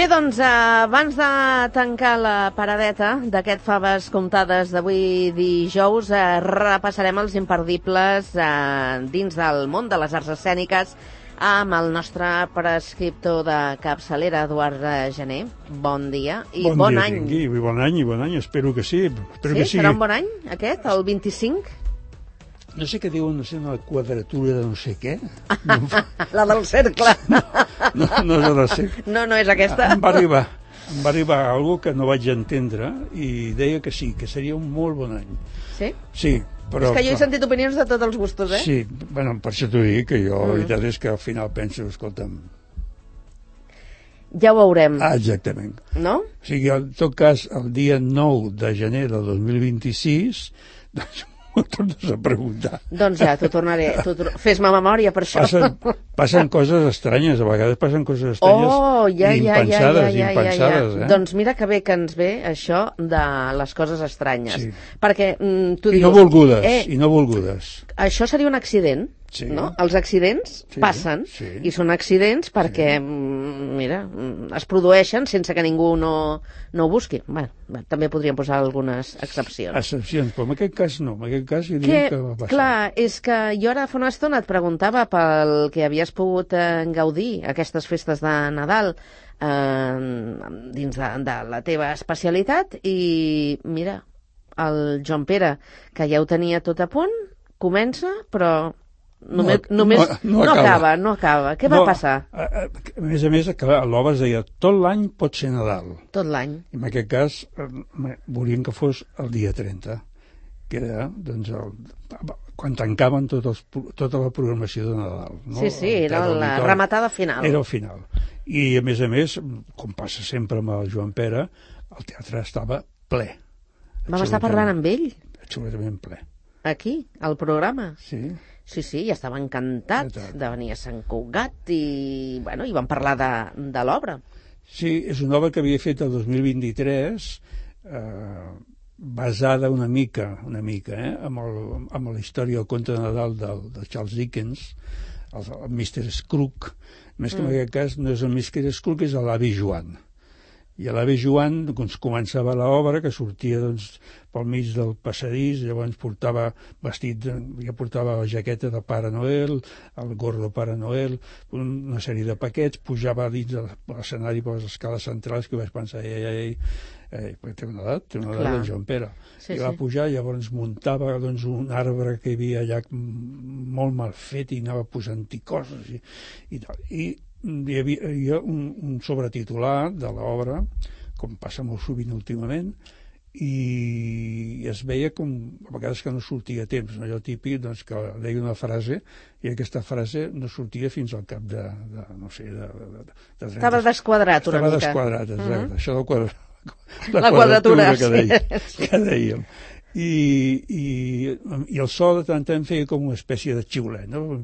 Bé, doncs, abans de tancar la paradeta d'aquest Faves Comptades d'avui dijous, repassarem els imperdibles dins del món de les arts escèniques amb el nostre prescriptor de capçalera, Eduard Gené. Bon dia i bon any. Tingui, bon any, espero que sí. Sí? Serà un bon any, aquest, el 25? No sé què diuen, no sé, una quadratura de no sé què. La del cercle. No és la cercle. No és aquesta. Em va arribar algo que no vaig entendre i deia que sí, que seria un molt bon any. Sí? Sí, però... És que jo he sentit opinions de tots els gustos, eh? Sí, bueno, per això t'ho dic, que jo, la veritat és que al final penso, escolta'm... Ja ho veurem. Exactament. No? O sigui, en tot cas, el dia 9 de gener del 2026, doncs m'ho tornes a preguntar. Doncs ja, t'ho tornaré. Fes-me memòria per això. Passen coses estranyes, a vegades passen coses estranyes impensades. Doncs mira que bé que ens ve això de les coses estranyes. Sí. Perquè tu dius... I no volgudes. Això seria un accident, sí. No? Els accidents passen i són accidents perquè, mira, es produeixen sense que ningú no ho busqui. Bé, també podríem posar algunes excepcions. Excepcions, però en aquest cas no. En aquest cas jo diria que va passar. Clar, és que jo ara fa una estona et preguntava pel que havies pogut gaudir aquestes festes de Nadal dins de la teva especialitat i mira, el Joan Pere, que ja ho tenia tot a punt, comença, però només no acaba. Què va passar? A més, l'obra es deia tot l'any pot ser Nadal. Tot l'any. I en aquest cas volien que fos el dia 30, que era doncs, quan tancaven tota la programació de Nadal. No? Sí, era la rematada final. Era el final. I a més, com passa sempre amb el Joan Pere, el teatre estava ple. Vam estar parlant amb ell? Absolutament ple. Aquí, al programa? Sí. Sí, ja estava encantat de venir a Sant Cugat i vam parlar de l'obra. Sí, és una obra que havia fet el 2023, basada una mica amb la història del conte de Nadal de Charles Dickens, el Mr. Scrooge. Més que en aquest cas no és el Mr. Scrooge, és l'avi Joan. I l'avi Joan començava l'obra, que sortia pel mig del passadís, llavors portava portava la jaqueta de Pare Noel, el gorro de Pare Noel, una sèrie de paquets, pujava dins de l'escenari per les escales centrals, que vaig pensar, perquè té una edat de Joan Pere. I va pujar, llavors muntava un arbre que hi havia allà molt mal fet i anava posant-hi coses i tal. I hi havia un sobretitular de l'obra, com passa molt sovint últimament, i es veia com a vegades que no sortia a temps, allò típic que deia una frase i aquesta frase no sortia fins al cap de no sé, de 30. Estava desquadrat una mica. Estava desquadrat, exacte. Això la quadratura que dèiem. I el so de tant en tant feia com una espècie de xiulet, no?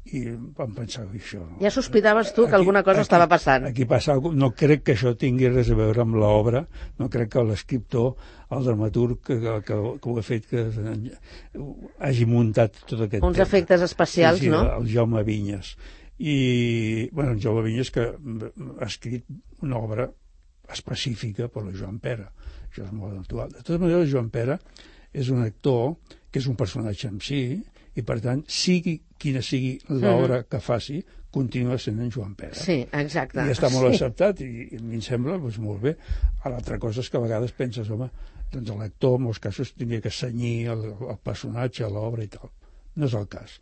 I vam pensar això. Ja sospitaves tu que alguna cosa estava passant. Aquí passa alguna cosa. No crec que això tingui res a veure amb l'obra, no crec que l'escriptor, el dramaturg que ho ha fet, que hagi muntat tot aquest uns efectes especials, sí, no? El Jaume Vinyes. I, el Jaume Vinyes que ha escrit una obra específica per la Joan Pere. Això és molt natural. De totes maneres, Joan Pere és un actor que és un personatge en si, i per tant, sigui quina sigui l'obra que faci, continua sent en Joan Pere. Sí, exacte. I està molt acceptat, i a mi em sembla molt bé. L'altra cosa és que a vegades penses, home, doncs l'actor en molts casos tindria que cenyir el personatge a l'obra i tal. No és el cas.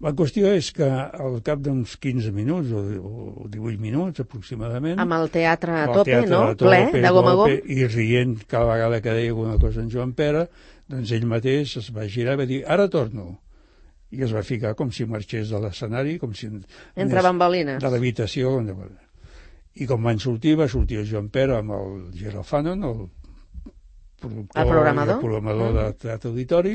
La qüestió és que al cap d'uns 15 minuts o 18 minuts aproximadament... Amb el teatre a tope, no? Ple, de gom a gom. I rient cada vegada que deia alguna cosa en Joan Pere, doncs ell mateix es va girar i va dir, ara torno. I es va ficar com si marxés de l'escenari, com si... Entre bambolines. De l'habitació. I com va sortir el Joan Pere amb el Gerald Fanon, el programador de Teatre Auditori,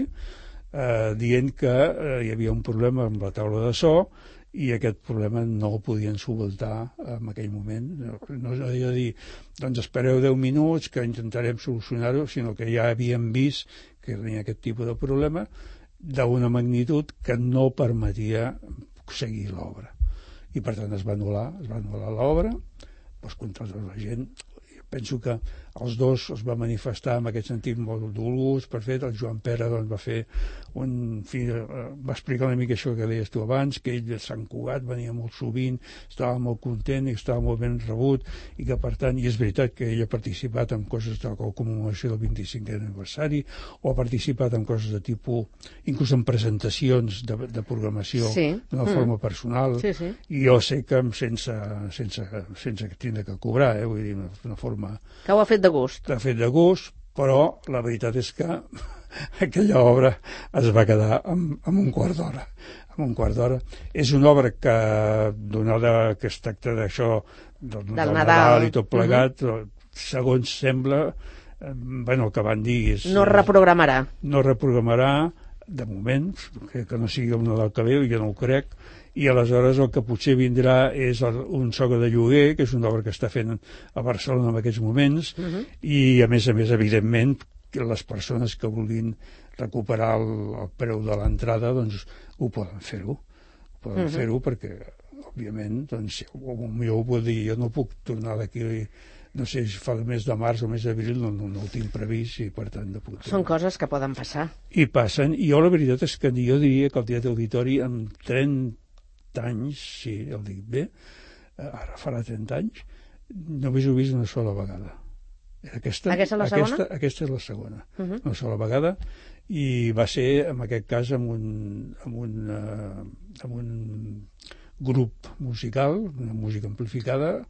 dient que hi havia un problema amb la taula de so i aquest problema no el podien solventar en aquell moment. No havia de dir, doncs espereu 10 minuts que intentarem solucionar-ho, sinó que ja havíem vist que tenia aquest tipus de problema d'una magnitud que no permetia seguir l'obra. i per tant es va anul·lar l'obra, doncs contra tota la gent. Penso que els dos es va manifestar en aquest sentit molt dolors. Per fet, el Joan Pere doncs, va fer va explicar una mica això que deies tu abans, que ell de Sant Cugat venia molt sovint, estava molt content i estava molt ben rebut, i que per tant, i és veritat que ell ha participat en coses de la commemoració del 25è aniversari, o ha participat en coses de tipus, inclús en presentacions de programació d'una forma personal, i jo sé que sense tindre que cobrar, vull dir, d'una forma... Que ho ha fet de gust. L'ha fet de gust, però la veritat és que aquella obra es va quedar amb un quart d'hora. Amb un quart d'hora. És una obra que, donada que es tracta d'això, del Nadal i tot plegat, segons sembla, el que van dir és... No reprogramarà. No reprogramarà, de moment, que no sigui el Nadal que ve, jo no ho crec, i aleshores el que potser vindrà és un soga de lloguer, que és una obra que està fent a Barcelona en aquests moments, i a més, evidentment, les persones que vulguin recuperar el preu de l'entrada, doncs ho poden fer-ho. Poden fer-ho perquè, òbviament, doncs, jo ho puc dir, jo no puc tornar d'aquí, no sé si fa el mes de març o mes d'abril, no ho tinc previst, i per tant no puc tornar. Són coses que poden passar. I passen, i jo la veritat és que jo diria que el Teatre Auditori amb 30 anys, sí, el dic bé, ara farà 30 anys, només ho he vist una sola vegada. Aquesta és la segona? Aquesta és la segona, una sola vegada, i va ser, en aquest cas, amb un grup musical, una música amplificada.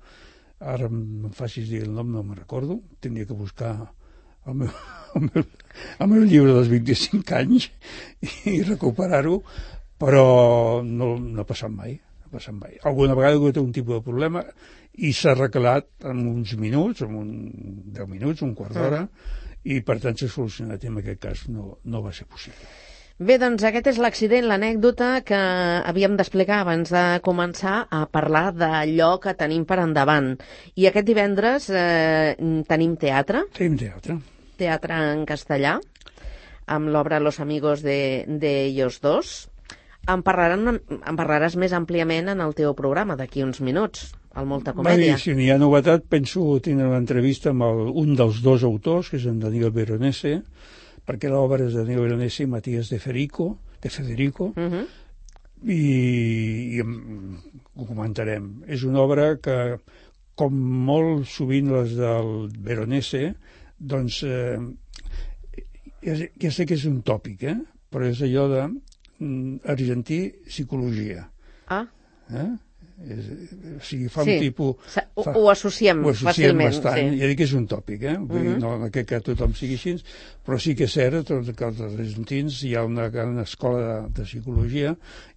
Ara em facis dir el nom, no me'n recordo, tindria que buscar el meu llibre dels 25 anys i recuperar-ho, però no ha passat mai. Alguna vegada he tingut un tipus de problema i s'ha arreglat en uns minuts, en 10 minuts, un quart d'hora, i per tant s'ha solucionat, i en aquest cas no va ser possible. Bé, doncs aquest és l'accident, l'anècdota que havíem d'explicar abans de començar a parlar d'allò que tenim per endavant. I aquest divendres tenim teatre. Tenim teatre. Teatre en castellà, amb l'obra Los amigos de ellos dos. En parlaràs més àmpliament en el teu programa d'aquí uns minuts, al Molta Comèdia. Si n'hi ha novetat, penso tindre una entrevista amb un dels dos autors, que és en Daniel Veronese, perquè l'obra és de Daniel Veronese i Matías de Federico, i ho comentarem. És una obra que, com molt sovint les del Veronese, doncs ja sé que és un tòpic, però és allò de argentí psicologia. O sigui, fa un tipus... Ho associem fàcilment. Bastant. Ja dic que és un tòpic, vull dir, no que tothom sigui així, però sí que és cert que els argentins hi ha una gran escola de psicologia,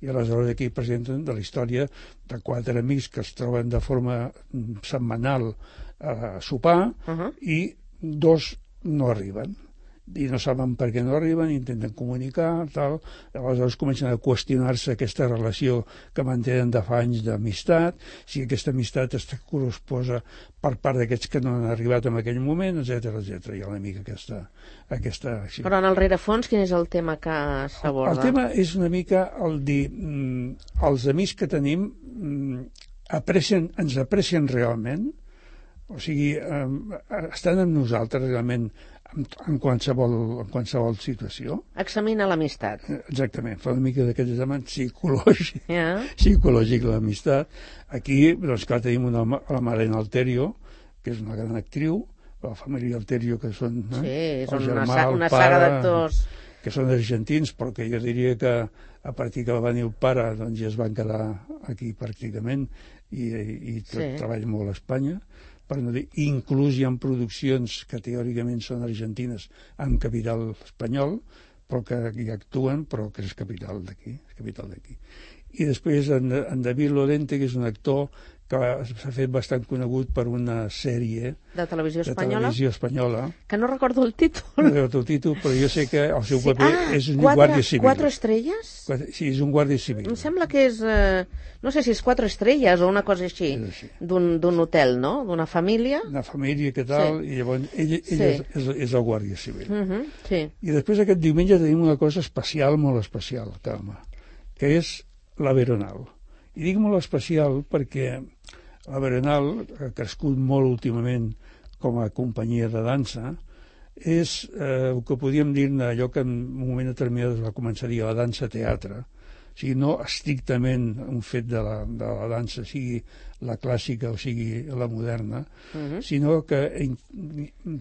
i aleshores aquí presenten de la història de 4 amics que es troben de forma setmanal a sopar, i 2 no arriben. I no saben per què no arriben, intenten comunicar, tal. Aleshores comencen a qüestionar-se aquesta relació que mantenen de fa anys d'amistat, si aquesta amistat està corresposa per part d'aquests que no han arribat en aquell moment, etc. Hi ha una mica aquesta... Però en el rerefons, quin és el tema que s'aborda? El tema és una mica el dir, els amics que tenim ens aprecien realment, o sigui, estan amb nosaltres realment en qualsevol situació. Examina l'amistat. Exactament, fa una mica d'aquest examen psicològic l'amistat. Aquí, doncs clar, tenim la Marlene Alterio, que és una gran actriu, la família Alterio, que són és una saga d'actors que són argentins, però que jo diria que a partir que va venir el pare doncs ja es van quedar aquí pràcticament i treballen molt a Espanya, per no dir, inclús hi ha produccions que teòricament són argentines amb capital espanyol, però que hi actuen, però que és capital d'aquí. I després en David Lorente, que és un actor que s'ha fet bastant conegut per una sèrie de televisió espanyola, que no recordo el títol. No recordo el títol, però jo sé que el seu paper és un guàrdia civil. 4 estrelles? Sí, és un guàrdia civil. Em sembla que és, no sé si és 4 estrelles o una cosa així, d'un hotel, no? D'una família. Una família, que tal, i llavors ell és el guàrdia civil. I després aquest diumenge tenim una cosa especial, molt especial, Carme, que és la Veronal. I dic molt especial perquè la Berenal ha crescut molt últimament com a companyia de dansa, és el que podríem dir-ne allò que en un moment determinat es va començar a dir la dansa-teatre, o sigui, no estrictament un fet de la dansa, sigui la clàssica o sigui la moderna, sinó que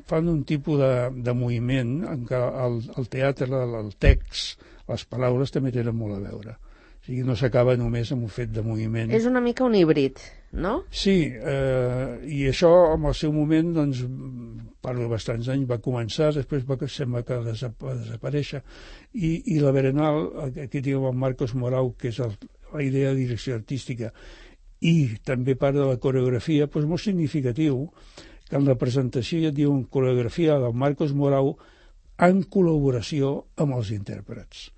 fan un tipus de moviment en què el teatre, el text, les paraules també tenen molt a veure. O sigui, no s'acaba només amb un fet de moviment. És una mica un híbrid, no? Sí, i això en el seu moment, doncs, parlo de bastants anys, va començar, després sembla que va desaparèixer, i la Berenal, aquí tenim el Marcos Morau, que és la idea de direcció artística, i també part de la coreografia, doncs molt significatiu que en la presentació ja et diuen coreografia del Marcos Morau en col·laboració amb els intèrprets.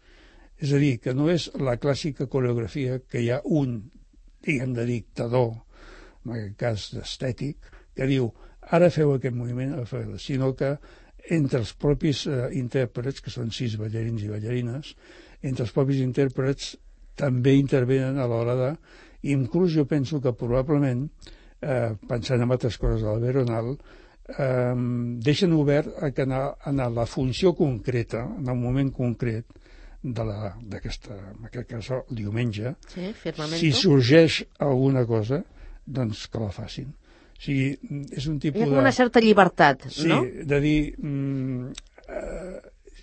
És a dir, que no és la clàssica coreografia que hi ha un, diguem, de dictador, en aquest cas estètic, que diu, ara feu aquest moviment, sinó que entre els propis intèrprets, que són 6 ballarins i ballarines, entre els propis intèrprets també intervenen a l'hora de... Inclús jo penso que probablement, pensant en altres coses de la Berenal, deixen obert que en la funció concreta, en el moment concret, d'aquesta, en aquest cas el diumenge, sí, si sorgeix alguna cosa, doncs que la facin. O sigui, és un tipus hi ha com una certa llibertat, no? Sí, de dir...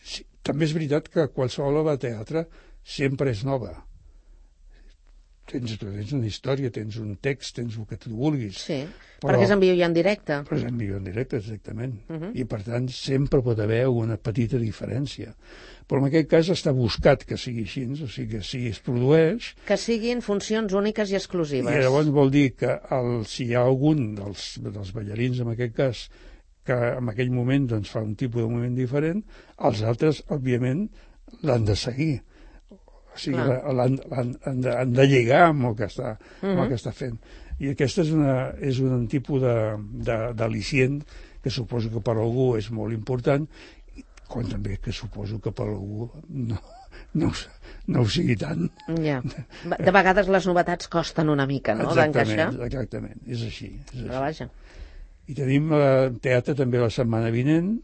sí, també és veritat que qualsevol obra de teatre sempre és nova. Tens una història, tens un text, tens el que tu vulguis. Sí, perquè és en viu i en directe. Però és en viu i en directe, exactament. I, per tant, sempre pot haver una petita diferència. Però en aquest cas està buscat que sigui així, o sigui, que si es produeix... Que siguin funcions úniques i exclusives. I llavors vol dir que si hi ha algun dels ballarins, en aquest cas, que en aquell moment doncs, fa un tipus de moviment diferent, els altres, òbviament, l'han de seguir. O sigui, han de lligar amb el que està fent. I aquesta és un tipus d'al·licient que suposo que per algú és molt important, com també que suposo que per algú no ho sigui tant. Ja. De vegades les novetats costen una mica, no?, d'encaixar. Exactament, és així. Però vaja. I tenim teatre també la setmana vinent,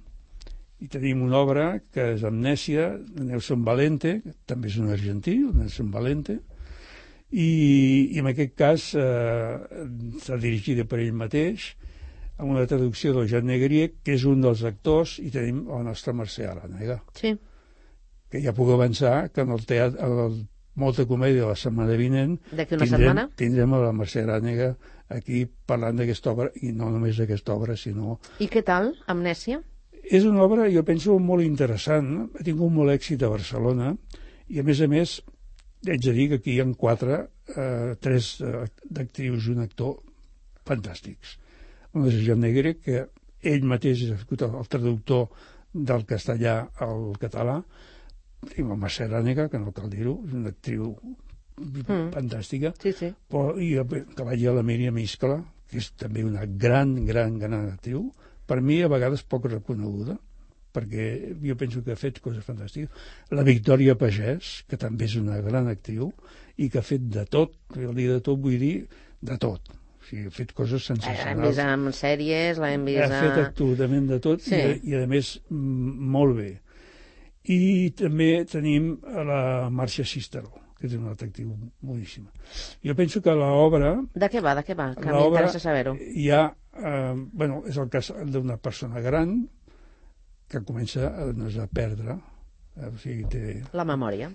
i tenim una obra que és Amnèsia, de Nelson Valente, que també és un argentí, Nelson Valente, i en aquest cas està dirigida per ell mateix, amb una traducció del Jean Negrier, que és un dels actors, i tenim la nostra Mercè Arànega. Sí. Que ja puc avançar que en el teatre, Molta Comèdia la setmana vinent, d'aquí una setmana tindrem a la Mercè Arànega aquí parlant d'aquesta obra, i no només d'aquesta obra, sinó... I què tal, Amnèsia? És una obra, jo penso, molt interessant. Ha tingut molt èxit a Barcelona i, a més, haig de dir que aquí hi ha 3 d'actrius i un actor fantàstics. Un és Jean Negre, que ell mateix és el traductor del castellà al català. Tenim la Mercè Arànega, que no cal dir-ho, és una actriu fantàstica. Sí, sí. Però, i que vagi a la Míriam Iscla, que és també una gran actriu, per mi a vegades poc reconeguda, perquè jo penso que ha fet coses fantàstiques. La Victòria Pagès, que també és una gran actriu, i que ha fet de tot, el dir de tot vull dir de tot. O sigui, ha fet coses sensacionals. L'hem vist en sèries, l'hem vist... Ha fet absolutament de tot, sí. I a més molt bé. I també tenim la Marcia Cisteró, que és una altra actriu boníssima. Jo penso que l'obra... De què va? Que m'interessa saber-ho. Hi ha... és el cas d'una persona gran que comença a perdre, o sigui, té... La memòria.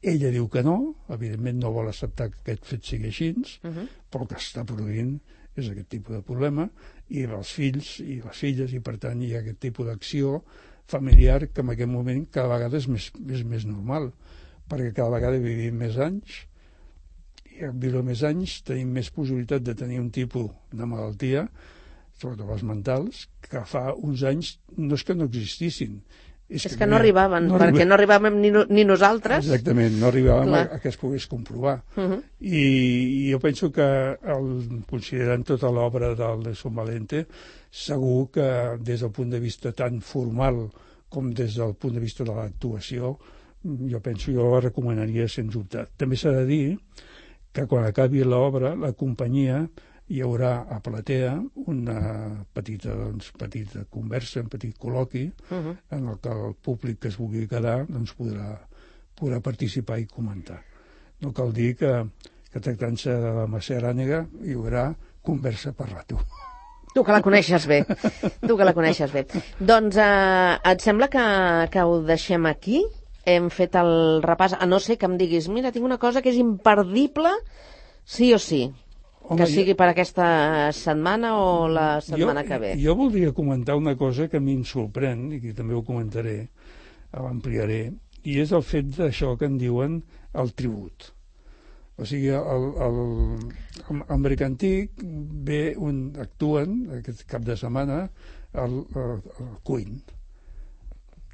Ella diu que no, evidentment no vol acceptar que aquest fet sigui així, però el que està produint és aquest tipus de problema, i els fills i les filles, i per tant hi ha aquest tipus d'acció familiar que en aquest moment cada vegada és més normal, perquè cada vegada vivim més anys, i al viure més anys tenim més possibilitat de tenir un tipus de malaltia, sobretot les mentals, que fa uns anys no és que no existissin, és que no arribaven, perquè no arribàvem ni nosaltres. Exactament, no arribàvem a que es pogués comprovar. I jo penso que, considerant tota l'obra del Nelson Valente, segur que des del punt de vista tan formal com des del punt de vista de l'actuació, jo la recomanaria sens dubte. També s'ha de dir que quan acabi l'obra, la companyia hi haurà a platea una petita conversa, un petit col·loqui, en el que el públic que es vulgui quedar podrà participar i comentar. No cal dir que tractant-se de la Mercè Arànega hi haurà conversa per rato. Tu que la coneixes bé. Doncs et sembla que ho deixem aquí? Hem fet el repàs, a no ser que em diguis, mira, tinc una cosa que és imperdible, sí o sí, que sigui per aquesta setmana o la setmana que ve. Jo voldria comentar una cosa que a mi em sorprèn, i que també ho comentaré, l'ampliaré, i és el fet d'això que en diuen el tribut. O sigui, al Mercantic actuen aquest cap de setmana el Queen.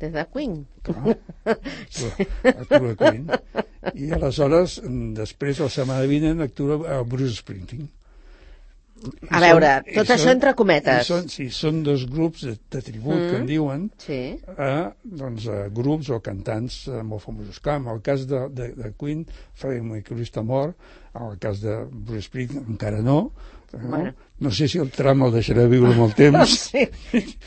Des de Queen? Clar, actua Queen. I aleshores, després, la setmana vinent, actua Bruce Springsteen. A veure, tot això entre cometes. Sí, són dos grups de tribut que en diuen a grups o cantants molt famosos. Clar, en el cas de Queen, Freddie Mercury està mort, en el cas de Bruce Springsteen encara no. No sé si el tram el deixarà viure molt temps. Sí.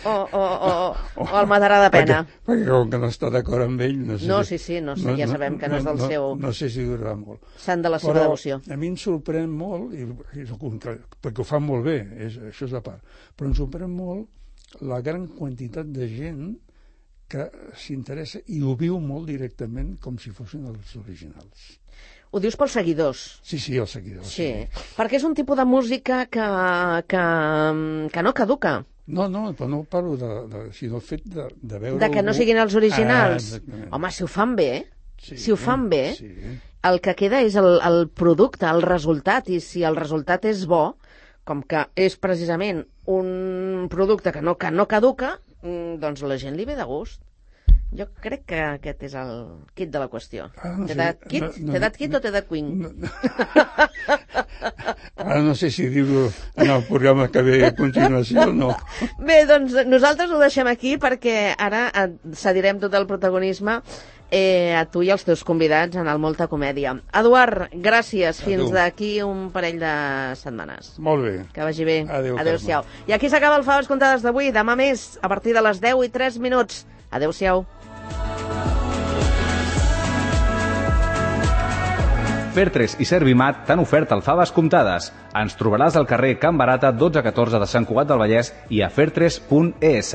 O el matarà de pena. Perquè com que no està d'acord amb ell... No, ja sabem que no és del seu... No sé si durarà molt. Sant de la seva devoció. A mi em sorprèn molt, perquè ho fan molt bé, això és a part, però em sorprèn molt la gran quantitat de gent que s'interessa i ho viu molt directament com si fossin els originals. Ho dius pels seguidors? Sí, els seguidors. Sí, perquè és un tipus de música que no caduca. No, però no parlo sinó el fet de veure... De que no siguin els originals. Home, si ho fan bé, el que queda és el producte, el resultat, i si el resultat és bo, com que és precisament un producte que no caduca, doncs la gent li ve de gust. Jo crec que aquest és el kit de la qüestió. T'he dat kit? T'he dat kit o t'he dat queen? Ara no sé si dir-ho en el programa que ve a continuació o no. Bé, doncs nosaltres ho deixem aquí perquè ara cedirem tot el protagonisme a tu i als teus convidats en el Molta Comèdia. Eduard, gràcies. Fins d'aquí un parell de setmanes. Molt bé. Que vagi bé. Adéu-siau. I aquí s'acaba el Faves Comptades d'avui. Demà més, a partir de les 10:03. Adéu-siau. Fer3 i Servimat t'han ofert el Faves Comptades. Ens trobaràs al carrer Can Barata 1214 de Sant Cugat del Vallès i a fer3.es.